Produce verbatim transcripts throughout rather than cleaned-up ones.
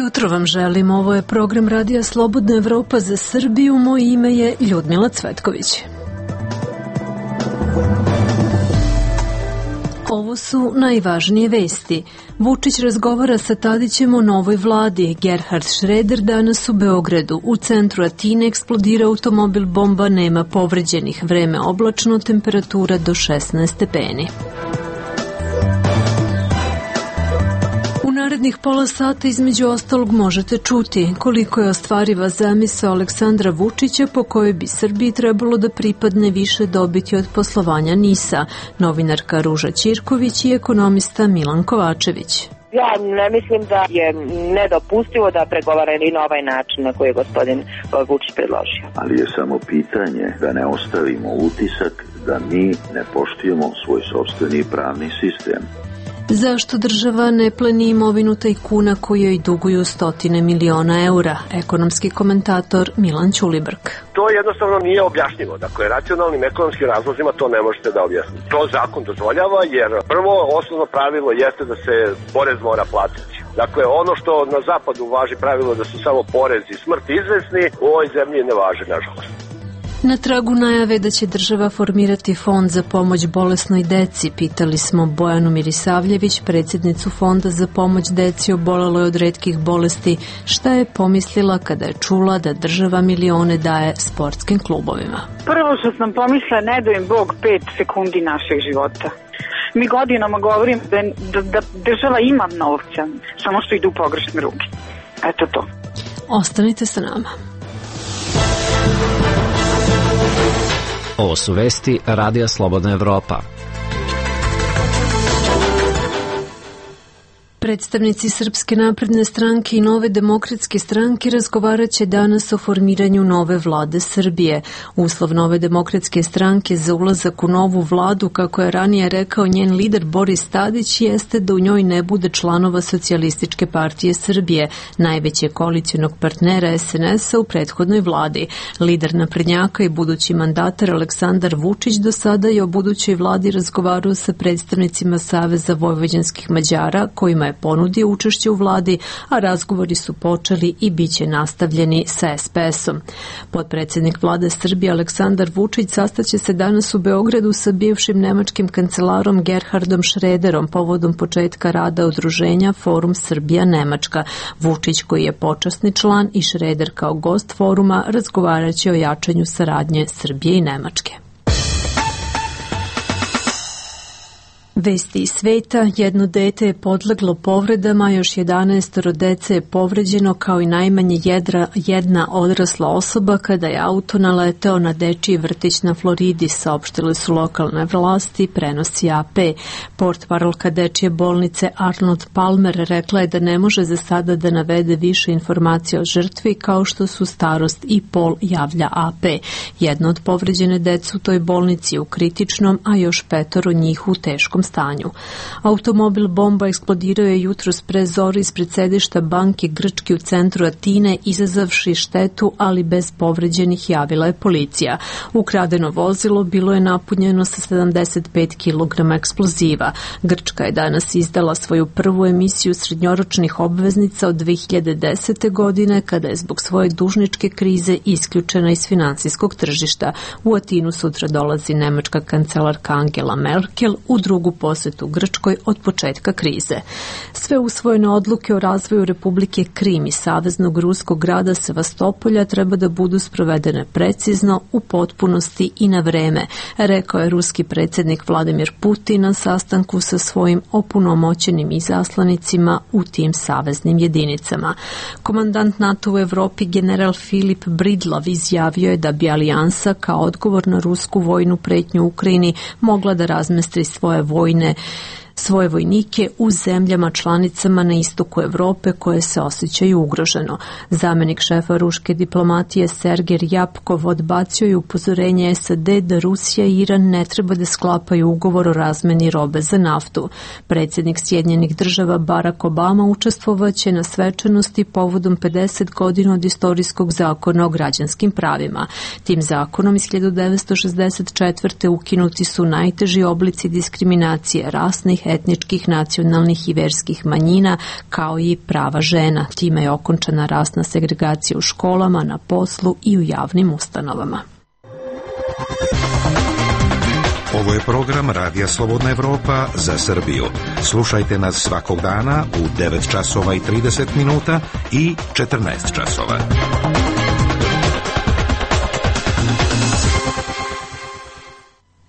jutro vam želim. Ovo je program Radija Slobodna Evropa za Srbiju. Moje ime je Ljudmila Cvetković. Ovo su najvažnije vesti. Vučić razgovara sa Tadićem o novoj vladi. Gerhard Schröder danas u Beogradu. U centru Atine eksplodira automobil bomba, nema povređenih. Vreme oblačno, temperatura do šesnaest stepeni. U narednih pola sata između ostalog možete čuti koliko je ostvariva zamisao Aleksandra Vučića po kojoj bi Srbiji trebalo da pripadne više dobiti od poslovanja NIS-a, novinarka Ruža Ćirković i ekonomista Milan Kovačević. Ja ne mislim da je nedopustivo da pregovarali na ovaj način na koji je gospodin Vučić predložio. Ali je samo pitanje da ne ostavimo utisak da mi ne poštujemo svoj sopstveni pravni sistem. Zašto država ne pleni imovinu tajkuna koji joj duguju stotine miliona eura? Ekonomski komentator Milan Ćulibrk. To jednostavno nije objašnjivo. Dakle, racionalnim ekonomskim razlozima to ne možete da objasnite. To zakon dozvoljava jer prvo osnovno pravilo jeste da se porez mora platiti. Dakle, ono što na zapadu važi pravilo da su samo porez i smrt izvesni, u ovoj zemlji ne važi, nažalost. Na tragu najave da će država formirati fond za pomoć bolesnoj deci, pitali smo Bojanu Mirisavljević, predsjednicu Fonda za pomoć deci oboleloj od retkih bolesti, šta je pomislila kada je čula da država milione daje sportskim klubovima. Prvo što sam pomislila, ne da im Bog pet sekundi našeg života. Mi godinama govorim da, da, da država ima novca, samo što idu u pogrešne ruke. Eto to. Ostanite sa nama. Ovo su vesti Radija Slobodna Evropa. Predstavnici Srpske napredne stranke i Nove demokratske stranke razgovarat će danas o formiranju nove vlade Srbije. Uslov Nove demokratske stranke za ulazak u novu vladu, kako je ranije rekao njen lider Boris Tadić, jeste da u njoj ne bude članova Socijalističke partije Srbije, najvećeg koalicionog partnera es en es-a u prethodnoj vladi. Lider naprednjaka i budući mandatar Aleksandar Vučić do sada je o budućoj vladi razgovarao sa predstavnicima Saveza vojvođanskih Mađara, kojima je ponudio učešće u vladi, a razgovori su počeli i bit će nastavljeni sa es pe es-om. Potpredsjednik vlade Srbije Aleksandar Vučić sastaće se danas u Beogradu sa bivšim nemačkim kancelarom Gerhardom Schröderom povodom početka rada udruženja Forum Srbija-Nemačka. Vučić, koji je počasni član, i Schröder kao gost foruma razgovarat će o jačanju saradnje Srbije i Nemačke. Vesti iz sveta, jedno dete je podleglo povredama, još jedanaestoro dece je povređeno kao i najmanje jedra, jedna odrasla osoba kada je auto naleteo na dečiji vrtić na Floridi, saopštile su lokalne vlasti, prenosi a pe. Portparolka dečije bolnice Arnold Palmer rekla je da ne može za sada da navede više informacija o žrtvi, kao što su starost i pol, javlja a pe. Jedno od povređene dece u toj bolnici je u kritičnom, a još petoro njih u teškom stanju. Automobil bomba eksplodirao je jutros pre zori ispred sedišta banke Grčke u centru Atine, izazavši štetu, ali bez povređenih, javila je policija. Ukradeno vozilo bilo je napunjeno sa sedamdeset pet kilograma eksploziva. Grčka je danas izdala svoju prvu emisiju srednjoročnih obveznica od dve hiljade desete. godine, kada je zbog svoje dužničke krize isključena iz finansijskog tržišta. U Atinu sutra dolazi nemačka kancelarka Angela Merkel u drugu posetu Grčkoj od početka krize. Sve usvojene odluke o razvoju Republike Krim i saveznog ruskog grada Sevastopolja treba da budu sprovedene precizno, u potpunosti i na vreme, rekao je ruski predsjednik Vladimir Putin na sastanku sa svojim opunomoćenim izaslanicima u tim saveznim jedinicama. Komandant NATO u Evropi general Filip Bridlav izjavio je da bi alijansa kao odgovor na rusku vojnu pretnju u Ukrajini mogla da razmestri svoje vojne svoje vojnike u zemljama članicama na istoku Evrope koje se osjećaju ugroženo. Zamenik šefa ruške diplomatije Sergej Ryabkov odbacio je upozorenje es a de da Rusija i Iran ne treba da sklapaju ugovor o razmeni robe za naftu. Predsjednik Sjedinjenih država Barack Obama učestvovaće na svečanosti povodom pedeset godina od istorijskog zakona o građanskim pravima. Tim zakonom iz hiljadu devetsto šezdeset četvrte ukinuti su najteži oblici diskriminacije rasnih, etničkih, nacionalnih i verskih manjina, kao i prava žena. Time je okončana rasna segregacija u školama, na poslu i u javnim ustanovama. Ovo je program Radija Slobodna Evropa za Srbiju. Slušajte nas svakog dana u devet časova i trideset minuta i četrnaest časova.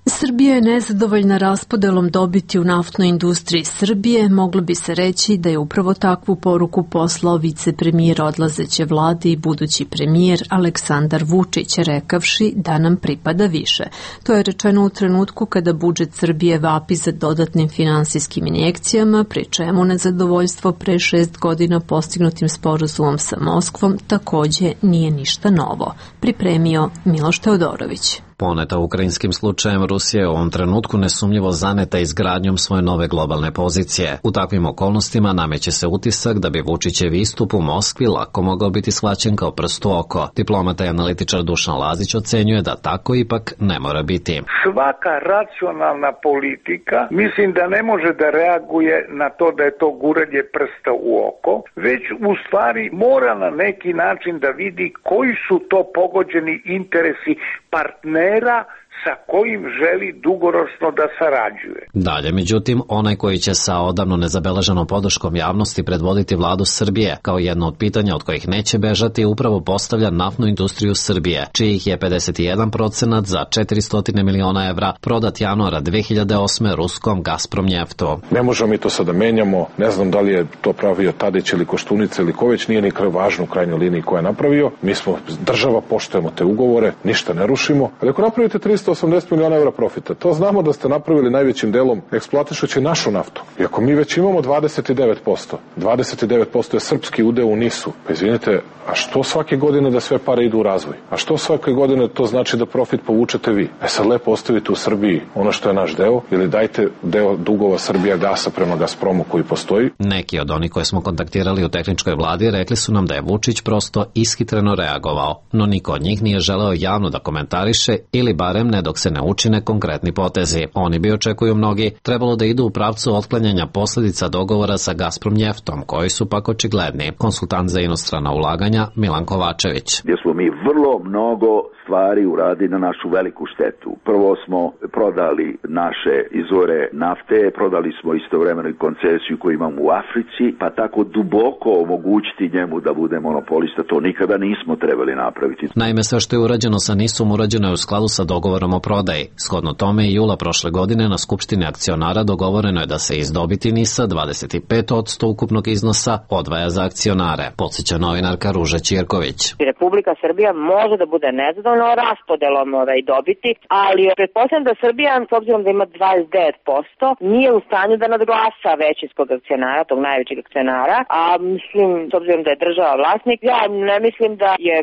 Srbija je nezadovoljna raspodelom dobiti u naftnoj industriji Srbije. Moglo bi se reći da je upravo takvu poruku poslao vicepremijer odlazeće vlade i budući premijer Aleksandar Vučić, rekavši da nam pripada više. To je rečeno u trenutku kada budžet Srbije vapi za dodatnim finansijskim injekcijama, pri čemu nezadovoljstvo pre šest godina postignutim sporazumom sa Moskvom takođe nije ništa novo. Pripremio Miloš Teodorović. Poneta ukrajinskim slučajem, Rusija je u ovom trenutku nesumnjivo zaneta izgradnjom svoje nove globalne pozicije. U takvim okolnostima nameće se utisak da bi Vučićev istup u Moskvi lako mogao biti shvaćen kao prst u oko. Diplomata i analitičar Dušan Lazić ocenjuje da tako ipak ne mora biti. Svaka racionalna politika mislim da ne može da reaguje na to da je to guranje prsta u oko, već u stvari mora na neki način da vidi koji su to pogođeni interesi partnera sa kojim želi dugoročno da sarađuje. Dalje, međutim, onaj koji će sa odavno nezabeleženom podrškom javnosti predvoditi vladu Srbije, kao jedno od pitanja od kojih neće bežati, upravo postavlja naftnu industriju Srbije, čijih je pedeset jedan procenat za četiristo miliona evra prodat januara dve hiljade osme ruskom Gazpromnjeftu. Ne možemo mi to sada menjamo, ne znam da li je to pravio Tadić ili Koštunica ili ko već, nije ni važno u krajnjoj liniji ko je napravio. Mi smo država, poštujemo te ugovore, ništa ne rušimo, ali ako napravite tristo osamdeset miliona evra profita, to znamo da ste napravili najvećim delom eksploatišući našu naftu. I ako mi već imamo dvadeset devet posto, dvadeset devet posto je srpski udeo u NIS-u, pa izvinite, a što svake godine da sve pare idu u razvoj? A što svake godine to znači da profit povučete vi? E sad lepo ostavite u Srbiji ono što je naš deo ili dajte deo dugova Srbija gasa prema Gazpromu koji postoji. Neki od onih koje smo kontaktirali u tehničkoj vladi rekli su nam da je Vučić prosto ishitreno reagovao, no niko od njih nije želeo javno da komentariše ili barem ne dok se ne učine konkretni potezi. Oni bi, očekuju mnogi, trebalo da idu u pravcu otklanjanja posledica dogovora sa Gazpromnjeftom, koji su pak očigledni. Konsultant za inostrana ulaganja Milan Kovačević. Gdje smo mi vrlo mnogo stvari uradili na našu veliku štetu. Prvo smo prodali naše izvore nafte, prodali smo istovremeno i koncesiju koju imamo u Africi, pa tako duboko omogućiti njemu da bude monopolista, to nikada nismo trebali napraviti. Naime, sve što je urađeno sa NIS-om urađeno je u skladu sa dogovorom o prodaji. Shodno tome i jula prošle godine na Skupštini akcionara dogovoreno je da se iz dobiti NIS-a dvadeset pet posto ukupnog iznosa odvaja za akcionare, podsjeća novinarka Ruža Ćirković. Republika Srbija može da bude nezadovoljna raspodelom ovaj dobiti, ali pretpostavljam da Srbija, s obzirom da ima dvadeset devet posto, nije u stanju da nadglasa većinskog akcionara, tog najvećeg akcionara, a mislim, s obzirom da je država vlasnik, ja ne mislim da je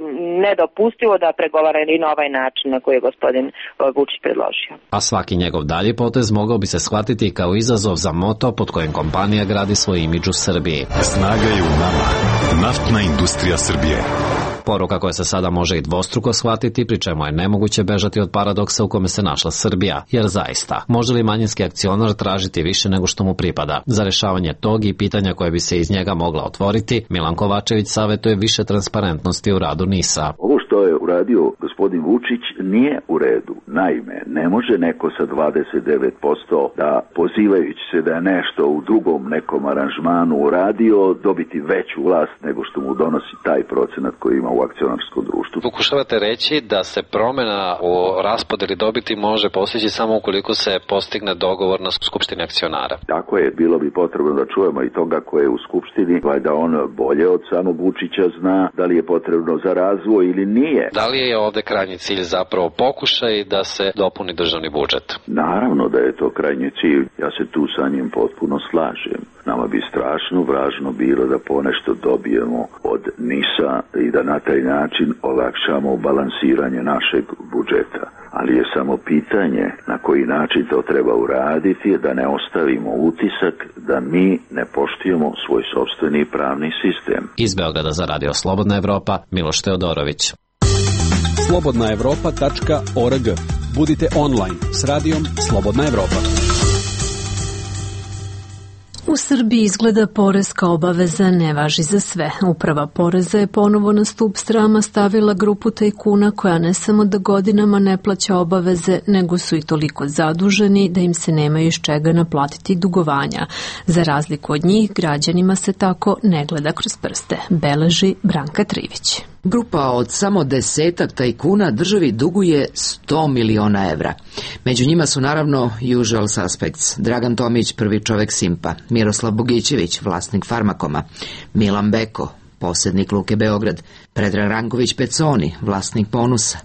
nedopustivo da pregovara i na ovaj način na koji je gospodin Vučić predložio. A svaki njegov dalji potez mogao bi se shvatiti kao izazov za moto pod kojim kompanija gradi svoj imidž u Srbiji. Snaga je u nama. Naftna industrija Srbije. Poruka koja se sada može i dvostruko shvatiti, pri čemu je nemoguće bežati od paradoksa u kome se našla Srbija, jer zaista, može li manjinski akcionar tražiti više nego što mu pripada? Za rešavanje tog i pitanja koje bi se iz njega mogla otvoriti, Milan Kovačević savjetuje više transparentnosti u radu NIS-a. Ovo što je uradio gospodin Vučić nije u redu. Naime, ne može neko sa dvadeset devet posto da, pozivajući se da je nešto u drugom nekom aranžmanu uradio, dobiti veću vlast nego što mu donosi taj procenat koji ima u akcionarskom društvu. Pokušavate reći da se promjena u raspodeli dobiti može postići samo ukoliko se postigne dogovor na Skupštini akcionara. Tako je, bilo bi potrebno da čujemo i toga ko je u Skupštini, valjda on bolje od samog Vučića zna da li je potrebno za razvoj ili nije. Da li je ovde krajnji cilj zapravo pokušaj da se dopuni državni budžet? Naravno da je to krajnji cilj. Ja se tu sa njim potpuno slažem. Nama bi strašno važno bilo da ponešto dobijemo od NIS-a i da na taj način olakšamo balansiranje našeg budžeta. Ali je samo pitanje na koji način to treba uraditi, da ne ostavimo utisak da mi ne poštujemo svoj sopstveni pravni sistem. Iz Beograda za Radio Slobodna Evropa, Miloš Teodorović. slobodna evropa tačka org. Budite online s radijom Slobodna Evropa. U Srbiji izgleda poreska obaveza ne važi za sve. Uprava poreza je ponovo na stup srama stavila grupu tajkuna koja ne samo da godinama ne plaća obaveze, nego su i toliko zaduženi da im se nemaju iz čega naplatiti dugovanja. Za razliku od njih, građanima se tako ne gleda kroz prste, beleži Branka Trivić. Grupa od samo desetak tajkuna državi duguje sto miliona evra. Među njima su naravno usual suspects: Dragan Tomić, prvi čovek Simpa, Miroslav Bogićević, vlasnik Farmakoma, Milan Beko, posjednik Luke Beograd, Predrag Ranković Peconi, vlasnik Ponusa,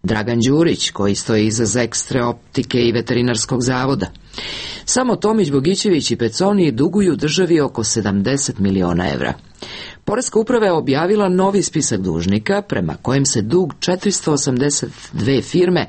Dragan Đurić, koji stoji iza Zekstre optike i veterinarskog zavoda. Samo Tomić, Bogićević i Peconi duguju državi oko sedamdeset miliona evra. Poreska uprava je objavila novi spisak dužnika prema kojem se dug četiristo osamdeset dve firme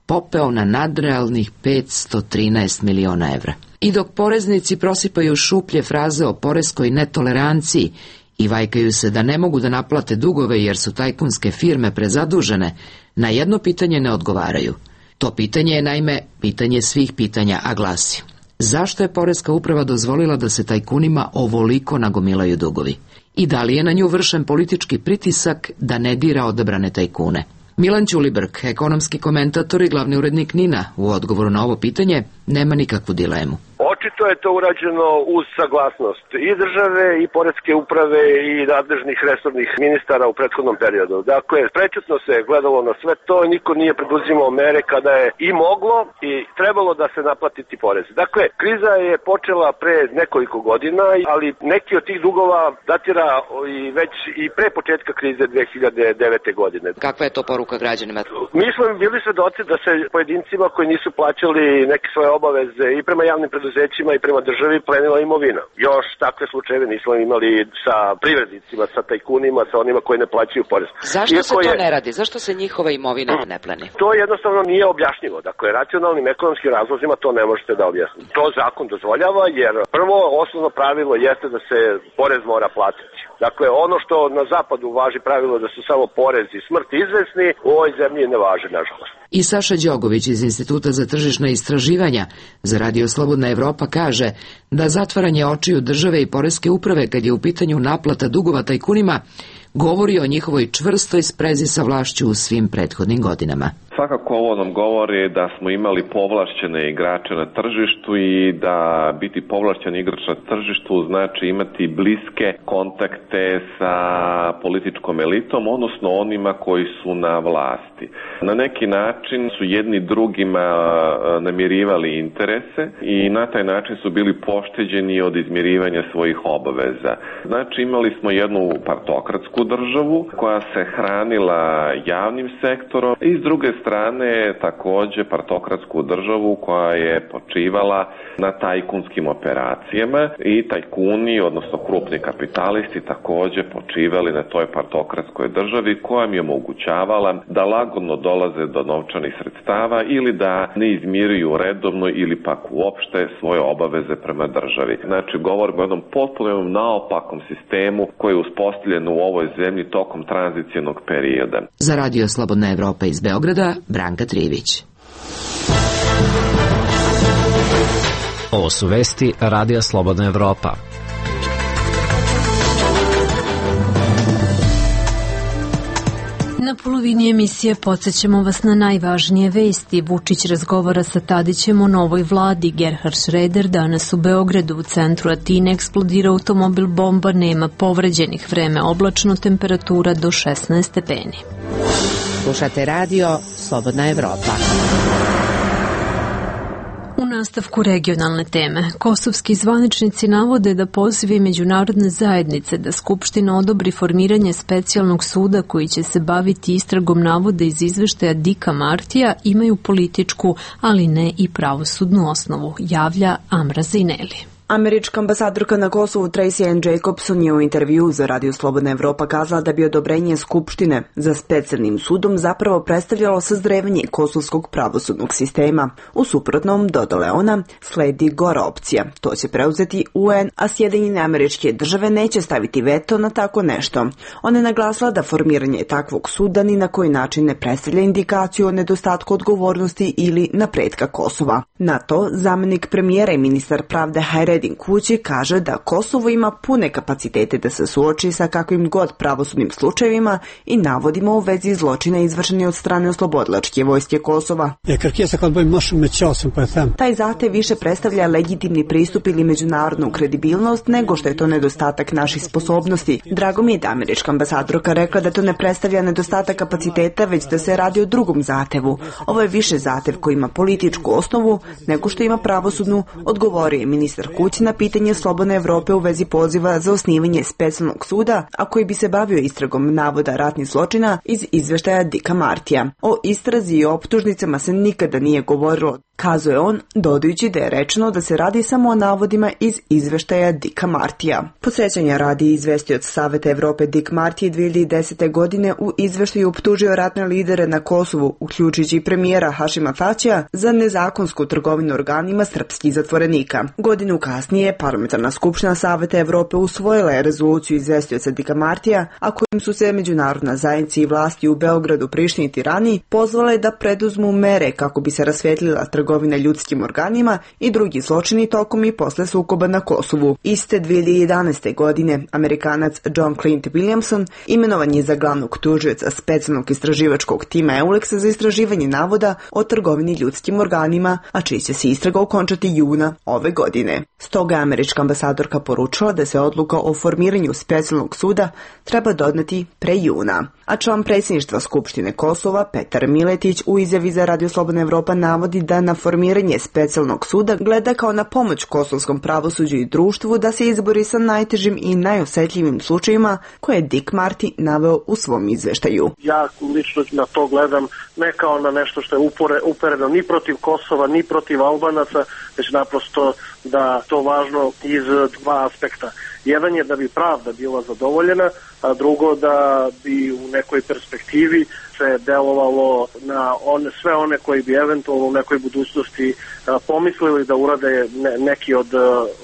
popeo na nadrealnih petsto trinaest miliona evra. I dok poreznici prosipaju šuplje fraze o poreskoj netoleranciji i vajkaju se da ne mogu da naplate dugove jer su tajkunske firme prezadužene, na jedno pitanje ne odgovaraju. To pitanje je naime pitanje svih pitanja, a glasi: zašto je poreska uprava dozvolila da se tajkunima ovoliko nagomilaju dugovi? I da li je na nju vršen politički pritisak da ne dira odabrane tajkune? Milan Ćulibrk, ekonomski komentator i glavni urednik NIN-a, u odgovoru na ovo pitanje nema nikakvu dilemu. Očito je to urađeno uz saglasnost i države i poreske uprave i nadležnih resornih ministara u prethodnom periodu. Dakle, prečutno se gledalo na sve to i niko nije preduzimao mere kada je i moglo i trebalo da se naplatiti porez. Dakle, kriza je počela pre nekoliko godina, ali neki od tih dugova datira i već i pre početka krize dve hiljade devete. godine. Kakva je to poruka građanima? Mi smo bili svedoci da se pojedincima koji nisu plaćali neke svoje obaveze i prema javnim preduzećima i prema državi plenila imovina. Još takve slučajeve nismo imali sa privrednicima, sa tajkunima, sa onima koji ne plaćaju porez. Zašto Iako se to je... ne radi? Zašto se njihova imovina ne pleni? To jednostavno nije objašnjivo. Dakle, racionalnim ekonomskim razlozima to ne možete da objasnite. To zakon dozvoljava jer prvo osnovno pravilo jeste da se porez mora platiti. Dakle, ono što na zapadu važi pravilo da su samo porez i smrt izvesni, u ovoj zemlji ne važi, nažalost. I Saša Đogović iz Instituta za tržišna istraživanja za Radio Slobodna Evropa kaže da zatvaranje očiju države i poreske uprave kad je u pitanju naplata dugova tajkunima govori o njihovoj čvrstoj sprezi sa vlašću u svim prethodnim godinama. Svakako ovo nam govori da smo imali povlašćene igrače na tržištu i da biti povlašćen igrač na tržištu znači imati bliske kontakte sa političkom elitom, odnosno onima koji su na vlasti. Na neki način su jedni drugima namirivali interese i na taj način su bili pošteđeni od izmirivanja svojih obaveza. Znači imali smo jednu partokratsku državu koja se hranila javnim sektorom i s druge strane strane takođe partokratsku državu koja je počivala na tajkunskim operacijama i tajkuni, odnosno krupni kapitalisti takođe počivali na toj partokratskoj državi koja mi je omogućavala da lagodno dolaze do novčanih sredstava ili da ne izmiruju redovno ili pak uopšte svoje obaveze prema državi. Znači govorimo o jednom potpuno naopakom sistemu koji je uspostavljen u ovoj zemlji tokom tranzicionog perioda. Za Radio Slobodna Evropa iz Beograda, Branka Trivić. Ovo su vesti Radija Slobodna Evropa. Na polovini emisije podsjećamo vas na najvažnije vesti. Vučić razgovara sa Tadićem o novoj vladi. Gerhard Schröder danas u Beogradu. U centru Atine eksplodira automobil bomba, nema povređenih, vreme oblačno, temperatura do šesnaest stepeni. Slušate radio Slobodna Evropa. U nastavku regionalne teme, kosovski zvaničnici navode da pozivi međunarodne zajednice da Skupština odobri formiranje specijalnog suda koji će se baviti istragom navoda iz izveštaja Dika Martija imaju političku, ali ne i pravosudnu osnovu, javlja Amra Zineli. Američka ambasadorka na Kosovu Tracy Ann Jacobson je u intervju za Radio Slobodna Evropa kazala da bi odobrenje Skupštine za specijalnim sudom zapravo predstavljalo sazrevanje kosovskog pravosudnog sistema. U suprotnom, dodala ona, sledi gora opcija. To će preuzeti U N, a Sjedinjene Američke Države neće staviti veto na tako nešto. Ona je naglasila da formiranje takvog suda ni na koji način ne predstavlja indikaciju o nedostatku odgovornosti ili napretka Kosova. Na to, zamenik premijera i ministar pravde Hajred Edin Kući kaže da Kosovo ima pune kapacitete da se suoči sa kakvim god pravosudnim slučajevima i navodima u vezi zločina izvršeni od strane oslobodilačke vojske Kosova. Taj zahtev više predstavlja legitimni pristup ili međunarodnu kredibilnost nego što je to nedostatak naših sposobnosti. Drago mi je da američka ambasadorka rekla da to ne predstavlja nedostatak kapaciteta, već da se radi o drugom zahtevu. Ovo je više zahtev koji ima političku osnovu nego što ima pravosudnu, odgovorio je ministar Kuć na pitanje Slobodne Evrope u vezi poziva za osnivanje specijalnog suda, a koji bi se bavio istragom navoda ratnih zločina iz izveštaja Dicka Martija. O istrazi i optužnicama se nikada nije govorilo, kazuje on, dodajući da je rečeno da se radi samo o navodima iz izveštaja Dicka Martija. Podsjećanja radi izvestioc Saveta Evrope Dick Marty dve hiljade desete. godine u izveštaju optužio ratne lidere na Kosovu, uključujući i premijera Hašima Tačija, za nezakonsku trgovinu organima srpskih zatvorenika. Godinu kasnije Parlamentarna skupština Saveta Evrope usvojila je rezoluciju izvestioca Dicka Martija, a kojim su se međunarodna zajednica i vlasti u Beogradu, Prištini i Tirani pozvale da preduzmu mere kako bi se rasvetlila trgovina ljudskim organima i drugi zločini tokom i posle sukoba na Kosovu. Iste dve hiljade jedanaeste. godine Amerikanac John Clint Williamson imenovan je za glavnog tužioca specijalnog istraživačkog tima Eulexa za istraživanje navoda o trgovini ljudskim organima, a čiji će se istraga okončati juna ove godine. Stoga je američka ambasadorka poručila da se odluka o formiranju specijalnog suda treba doneti pre juna. A član predsjedništva Skupštine Kosova Petar Miletić u izjavi za Radio Slobodna Evropa navodi da na formiranje specijalnog suda gleda kao na pomoć kosovskom pravosuđu i društvu da se izbori sa najtežim i najosetljivim slučajima koje je Dick Marty naveo u svom izveštaju. Ja lično na to gledam ne kao na nešto što je upore, upereno ni protiv Kosova, ni protiv Albanaca, već naprosto da to važno iz dva aspekta. Jedan je da bi pravda bila zadovoljena, a drugo da bi u nekoj perspektivi se delovalo na one, sve one koji bi eventualno u nekoj budućnosti a, pomislili da urade ne, neki od,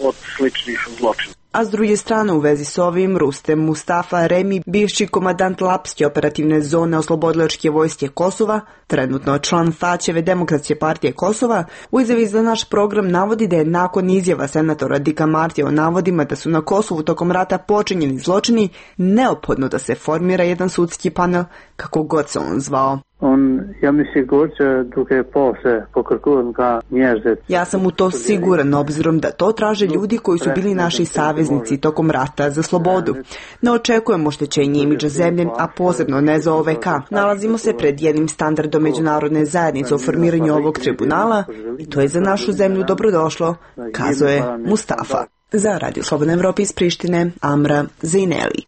od sličnih zločina. A s druge strane u vezi s ovim Rustem Mustafa Remi, bivši komadant Lapske operativne zone oslobodilačke vojske Kosova, trenutno član Tačeve Demokratske partije Kosova, u izjavi za naš program navodi da je nakon izjava senatora Dicka Martija o navodima da su na Kosovu tokom rata počinjeni zločini, neophodno da se formira jedan sudski panel, kako god se on zvao. On, ja mi sigur që duke posle pokërkuar nga njerëzit. Ja sam u to siguran, obzirom da to traže ljudi koji su bili naši saveznici tokom rata za slobodu. Ne očekujemo oštećenje imidža zemlje, a posebno ne za O V K. Nalazimo se pred jednim standardom međunarodne zajednice o formiranju ovog tribunala i to je za našu zemlju dobrodošlo, kazuje Mustafa. Za Radio Slobodna Evropa iz Prištine, Amra Zejneli.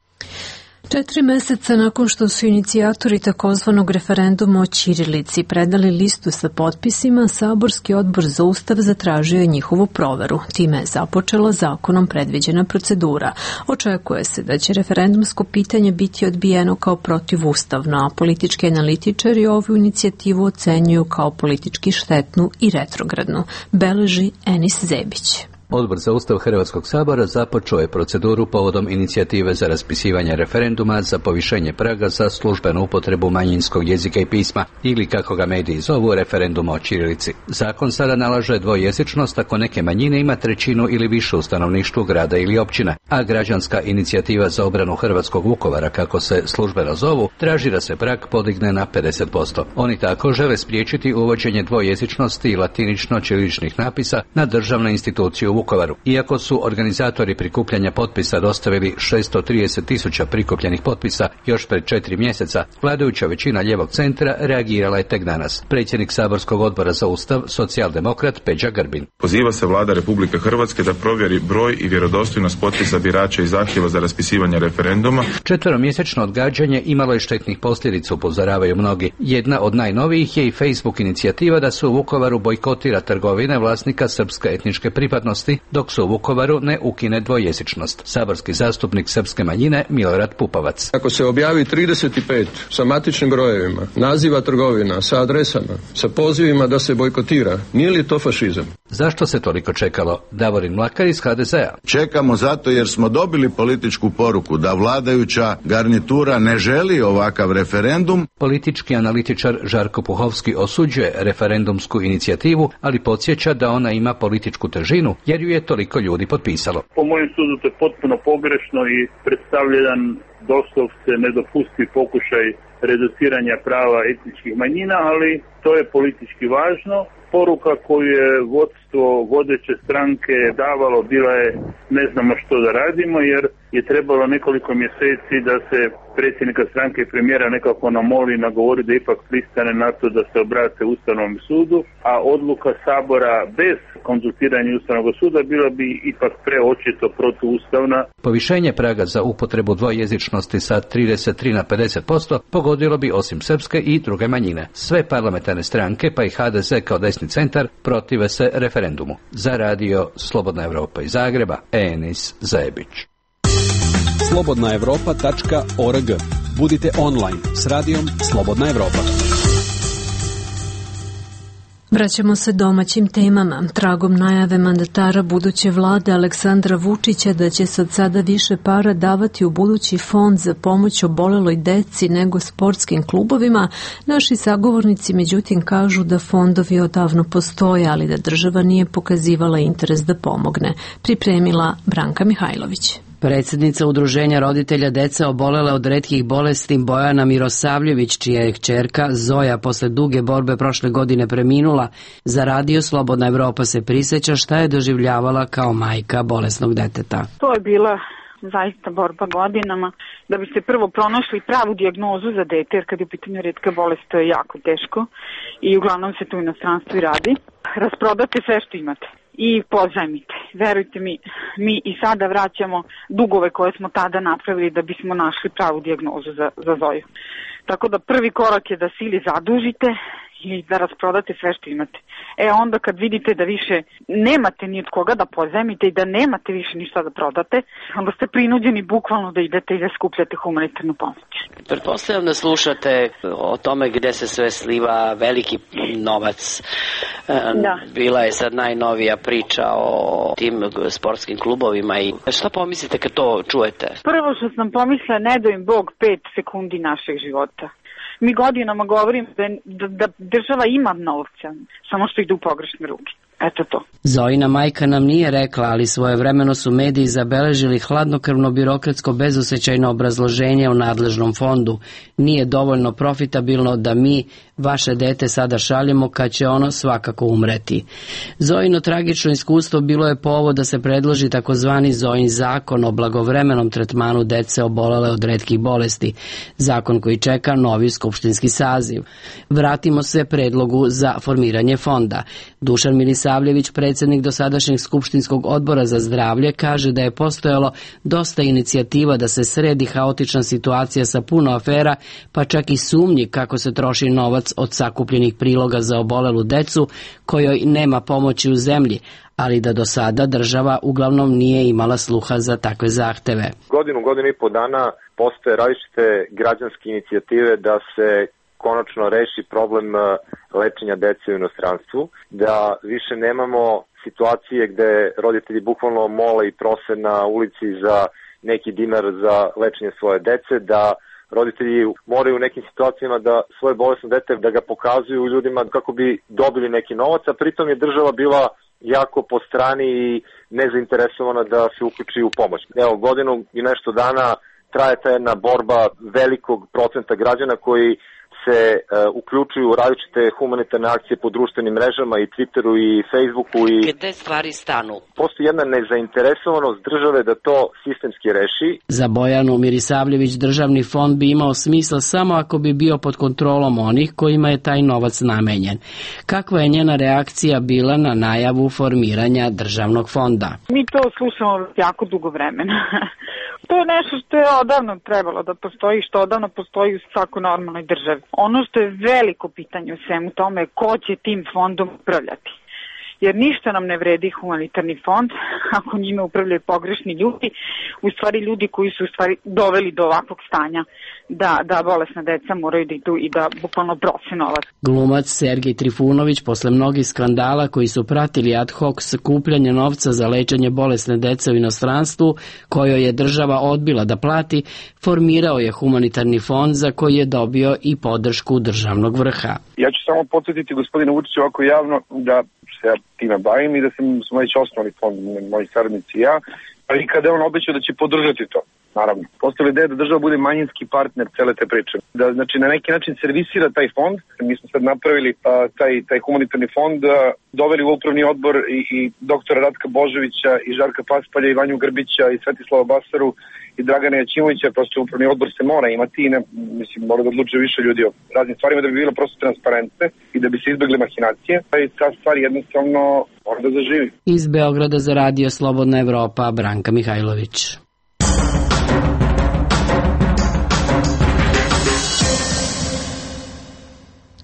Četiri meseca nakon što su inicijatori takozvanog referenduma o ćirilici predali listu sa potpisima, Saborski odbor za ustav zatražio je njihovu proveru. Time je započela zakonom predviđena procedura. Očekuje se da će referendumsko pitanje biti odbijeno kao protivustavno, a politički analitičari ovu inicijativu ocenjuju kao politički štetnu i retrogradnu, beleži Enis Zebić. Odbor za ustav Hrvatskog sabora započeo je proceduru povodom inicijative za raspisivanje referenduma za povišenje praga za službenu upotrebu manjinskog jezika i pisma ili, kako ga mediji zovu, referenduma o ćirilici. Zakon sada nalaže dvojezičnost ako neke manjine ima trećinu ili više u stanovništvu grada ili općine, a građanska inicijativa za obranu hrvatskog Vukovara, kako se službeno zovu, traži da se prag podigne na pedeset posto. Oni tako žele spriječiti uvođenje dvojezičnosti i latinično-ćiriličnih napisa na državnu instituciju Vukovaru. Iako su organizatori prikupljanja potpisa dostavili šesto trideset tisuća prikupljenih potpisa još pred četiri mjeseca, vladajuća većina lijevog centra reagirala je tek danas. Predsjednik Saborskog odbora za ustav, socijaldemokrat Peđa Grbin. Poziva se vlada Republike Hrvatske da provjeri broj i vjerodostojnost potpisa birača i zahtjeva za raspisivanje referenduma. Četveromjesečno odgađanje imalo je štetnih posljedica, upozoravaju mnogi. Jedna od najnovijih je i Facebook inicijativa da se u Vukovaru bojkotira trgovine vlasnika srpske etničke pripadnosti, dok se u Vukovaru ne ukine dvojezičnost. Saborski zastupnik srpske manjine Milorad Pupovac. Ako se objavi trideset pet sa matičnim brojevima, naziva trgovina, sa adresama, sa pozivima da se bojkotira, nije li to fašizam? Zašto se toliko čekalo? Davorin Mlakar iz H D Z-a. Čekamo zato jer smo dobili političku poruku da vladajuća garnitura ne želi ovakav referendum. Politički analitičar Žarko Puhovski osuđuje referendumsku inicijativu, ali podsjeća da ona ima političku težinu jer jer ju je toliko ljudi potpisalo. Po mojem sudu to je potpuno pogrešno i predstavlja jedan doslovce nedopustiv pokušaj reduciranja prava etničkih manjina, ali to je politički važno. Poruka koju je vodstvo vodeće stranke davalo bila je ne znamo što da radimo, jer je trebalo nekoliko mjeseci da se predsjednika stranke i premijera nekako namoli, nagovori da ipak pristane na to da se obrate Ustavnom sudu, a odluka Sabora bez konzultiranja Ustavnog suda bila bi ipak preočito protuustavna. Povišenje praga za upotrebu dvojezičnosti sa trideset tri na pedeset posto pogodilo bi osim srpske i druge manjine. Sve parlamentarne stranke, pa i ha de ze kao desni centar, protive se referendumu. Za radio Slobodna Evropa iz Zagreba, Enis Zebić. slobodna evropa tačka org. Budite online s radijom Slobodna Evropa. Vraćamo se domaćim temama. Tragom najave mandatara buduće vlade Aleksandra Vučića da će se od sada više para davati u budući fond za pomoć oboleloj deci nego sportskim klubovima, naši sagovornici međutim kažu da fondovi odavno postoje, ali da država nije pokazivala interes da pomogne. Pripremila Branka Mihajlović. Predsjednica Udruženja roditelja dece obolele od retkih bolesti Bojana Mirosavljević, čija je kćerka Zoja posle duge borbe prošle godine preminula, za radio Slobodna Evropa se prisjeća šta je doživljavala kao majka bolesnog deteta. To je bila zaista borba godinama da bi se prvo pronašli pravu dijagnozu za dete, jer kad je u pitanju retka bolest to je jako teško i uglavnom se tu u inostranstvu i radi. Rasprodate sve što imate i pozajmite. Verujte mi, mi i sada vraćamo dugove koje smo tada napravili da bismo našli pravu dijagnozu za, za Zoju. Tako da prvi korak je da se ili zadužite i da rasprodate sve što imate. E onda kad vidite da više nemate ni od koga da pozajmite i da nemate više ništa da prodate, onda ste prinuđeni bukvalno da idete i da skupljate humanitarnu pomoć. Pretpostavljam da slušate o tome gde se sve sliva veliki novac. Da. Bila je sad najnovija priča o tim sportskim klubovima i šta pomislite kad to čujete? Prvo što sam pomislila, ne dao im Bog pet sekundi našeg života. Mi godinama govorim da, da, da država ima novca, samo što ide u pogrešne ruke. Eto to. Zojina majka nam nije rekla, ali svojevremeno su mediji zabeležili hladnokrvno birokratsko bezosećajno obrazloženje o nadležnom fondu. Nije dovoljno profitabilno da mi vaše dete sada šaljemo kad će ono svakako umreti. Zojino tragično iskustvo bilo je povod da se predloži takozvani Zojin zakon o blagovremenom tretmanu dece obolele od retkih bolesti, zakon koji čeka novi skupštinski saziv. Vratimo se predlogu za formiranje fonda. Dušan Milisavljević, predsjednik dosadašnjeg skupštinskog odbora za zdravlje, kaže da je postojalo dosta inicijativa da se sredi haotična situacija sa puno afera, pa čak i sumnji kako se troši novac od sakupljenih priloga za obolelu decu kojoj nema pomoći u zemlji, ali da do sada država uglavnom nije imala sluha za takve zahteve. Godinu, godinu i po dana postoje različite građanske inicijative da se konačno reši problem lečenja dece u inostranstvu, da više nemamo situacije gde roditelji bukvalno mole i prose na ulici za neki dinar za lečenje svoje dece, da roditelji moraju u nekim situacijama da svoje bolesno dete da ga pokazuju ljudima kako bi dobili neki novac, a pritom je država bila jako po strani i nezainteresovana da se uključi u pomoć. Evo, godinu i nešto dana traje ta jedna borba velikog procenta građana koji se uh, uključuju u različite humanitarne akcije po društvenim mrežama i Twitteru i Facebooku i gde stvari stanu. Postoji jedna nezainteresovanost države da to sistemski reši. Za Bojanu Mirisavljević državni fond bi imao smisla samo ako bi bio pod kontrolom onih kojima je taj novac namenjen. Kakva je njena reakcija bila na najavu formiranja državnog fonda? Mi to slušamo jako dugo vremena. To je nešto što je odavno trebalo da postoji, što odavno postoji u svakoj normalnoj državi. Ono što je veliko pitanje u svemu tome je ko će tim fondom upravljati. Jer ništa nam ne vredi humanitarni fond ako njime upravljaju pogrešni ljudi, u stvari ljudi koji su u stvari doveli do ovakvog stanja da, da bolesna deca moraju da idu i da bukvalno brose novac. Glumac Sergej Trifunović, posle mnogih skandala koji su pratili ad hoc sakupljanje novca za lečenje bolesne dece u inostranstvu, kojoj je država odbila da plati, formirao je humanitarni fond za koji je dobio i podršku državnog vrha. Ja ću samo podsjetiti gospodina Vučića ovako javno da što se ja time bavim i da sam, smo već osnovali fond, moji saradnici i ja, ali kada je on obećao da će podržati to. Naravno, postoji ideja da država bude manjinski partner cele te priče. Da, znači, na neki način servisira taj fond. Mi smo sad napravili a, taj, taj humanitarni fond, a, doveli u upravni odbor i, i doktora Ratka Božovića i Žarka Paspalja i Vanju Grbića i Svetislava Basaru i Dragana Jaćimovića. Prosto upravni odbor se mora imati i ne, mislim, mora da odlučuje više ljudi o raznim stvarima da bi bilo prosto transparentne i da bi se izbegle mahinacije. I ta stvar jednostavno mora da zaživi. Iz Beograda za radio Slobodna Evropa, Branka Mihajlović.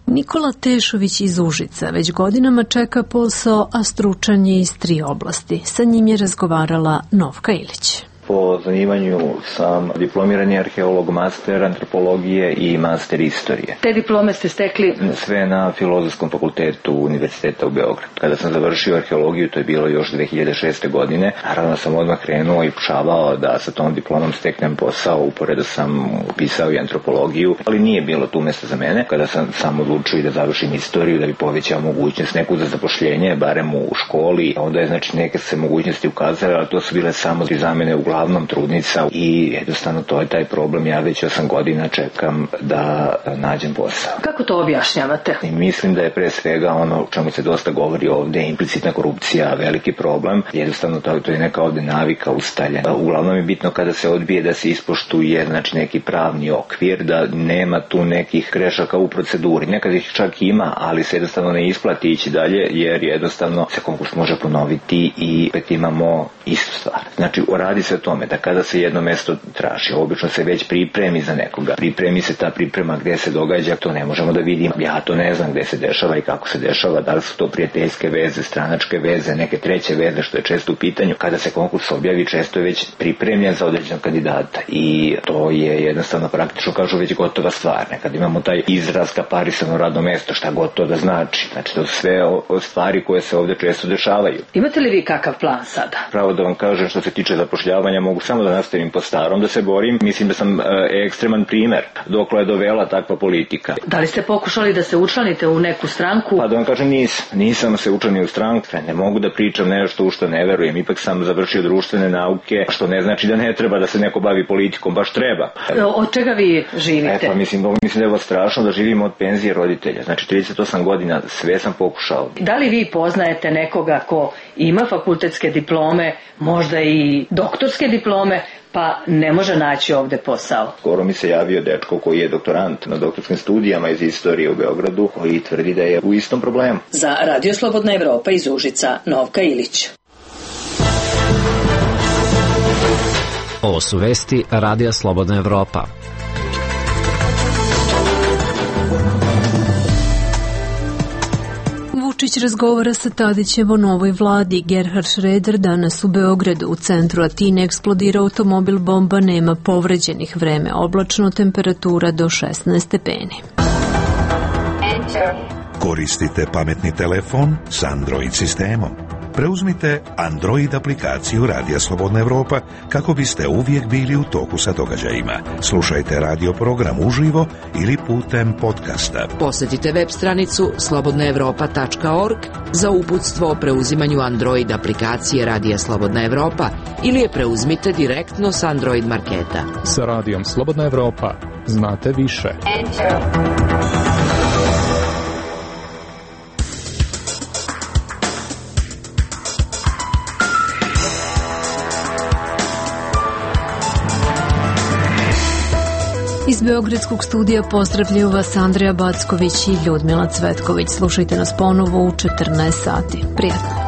Nikola Tešović iz Užica već godinama čeka posao, a stručan je iz tri oblasti. Sa njim je razgovarala Novka Ilić. Po zanimanju sam diplomirani arheolog, master antropologije i master istorije. Te diplome ste stekli? Sve na Filozofskom fakultetu Univerziteta u Beogradu. Kada sam završio arheologiju, to je bilo još dve hiljade šeste. godine, naravno sam odmah krenuo i pokušavao da sa tom diplomom steknem posao, uporedo sam upisao i antropologiju, ali nije bilo tu mesta za mene. Kada sam sam odlučio i da završim istoriju, da bi povećao mogućnost neku za zapošljenje, barem u školi, onda je znači neke se mogućnosti ukazale, ali to su bile samo za mene u uglavnom trudnica i jednostavno to je taj problem. Ja već osam godina čekam da nađem posao. Kako to objašnjavate? I mislim da je pre svega ono o čemu se dosta govori ovde, implicitna korupcija, veliki problem. Jednostavno to, to je neka ovde navika ustaljena. Uglavnom je bitno kada se odbije da se ispoštuje znači neki pravni okvir, da nema tu nekih grešaka u proceduri. Nekad ih čak ima, ali se jednostavno ne isplati ići dalje jer jednostavno se konkurs može ponoviti i opet imamo istu stvar. Znači radi se o tome da kada se jedno mesto traži, obično se već pripremi za nekoga. Pripremi se ta priprema gde se događa, to ne možemo da vidimo. Ja to ne znam gde se dešava i kako se dešava, da li su to prijateljske veze, stranačke veze, neke treće veze, što je često u pitanju. Kada se konkurs objavi, često je već pripremljen za određenog kandidata i to je jednostavno praktično kažu već gotova stvar. Nekad imamo taj izraz kaparisano radno mesto, šta god to da znači. Znači to su sve o, o stvari koje se ovde često dešavaju. Imate li vi kakav plan sada? Pravo da vam kažem, što se tiče zapošljavanja, mogu samo da nastavim po starom, da se borim. Mislim da sam e, ekstreman primer dokle je dovela takva politika. Da li ste pokušali da se učlanite u neku stranku? Pa da vam kažem, nisam. Nisam se učlanio u stranku. Ne mogu da pričam nešto u što ne verujem. Ipak sam završio društvene nauke, što ne znači da ne treba da se neko bavi politikom. Baš treba. Od čega vi živite? E pa mislim, mislim da je ovo strašno da živimo od penzije roditelja. Znači trideset osam godina, sve sam pokušao. Da li vi poznajete nekoga ko ima fakultetske diplome, možda i doktorske diplome, pa ne može naći ovde posao? Skoro mi se javio dečko koji je doktorant na doktorskim studijama iz istorije u Beogradu, koji tvrdi da je u istom problemu. Za Radio Slobodna Evropa iz Užica, Novka Ilić. Ovo su vesti Radija Slobodna Evropa. Vučić razgovara sa Tadićem o novoj vladi. Gerhard Schröder danas u Beogradu. U centru Atine eksplodira automobil, bomba, nema povređenih, vreme oblačno, temperatura do šesnaest stepeni. Koristite pametni telefon s Android sistemom. Preuzmite Android aplikaciju Radija Slobodna Evropa kako biste uvijek bili u toku sa događajima. Slušajte radio program uživo ili putem podcasta. Posjetite web stranicu slobodna evropa tačka org za uputstvo o preuzimanju Android aplikacije Radija Slobodna Evropa ili je preuzmite direktno s Android marketa. Sa Radijom Slobodna Evropa znate više. Enter. Iz Beogradskog studija pozdravljaju vas Andreja Backović i Ljudmila Cvetković. Slušajte nas ponovo u četrnaest sati. Prijatno.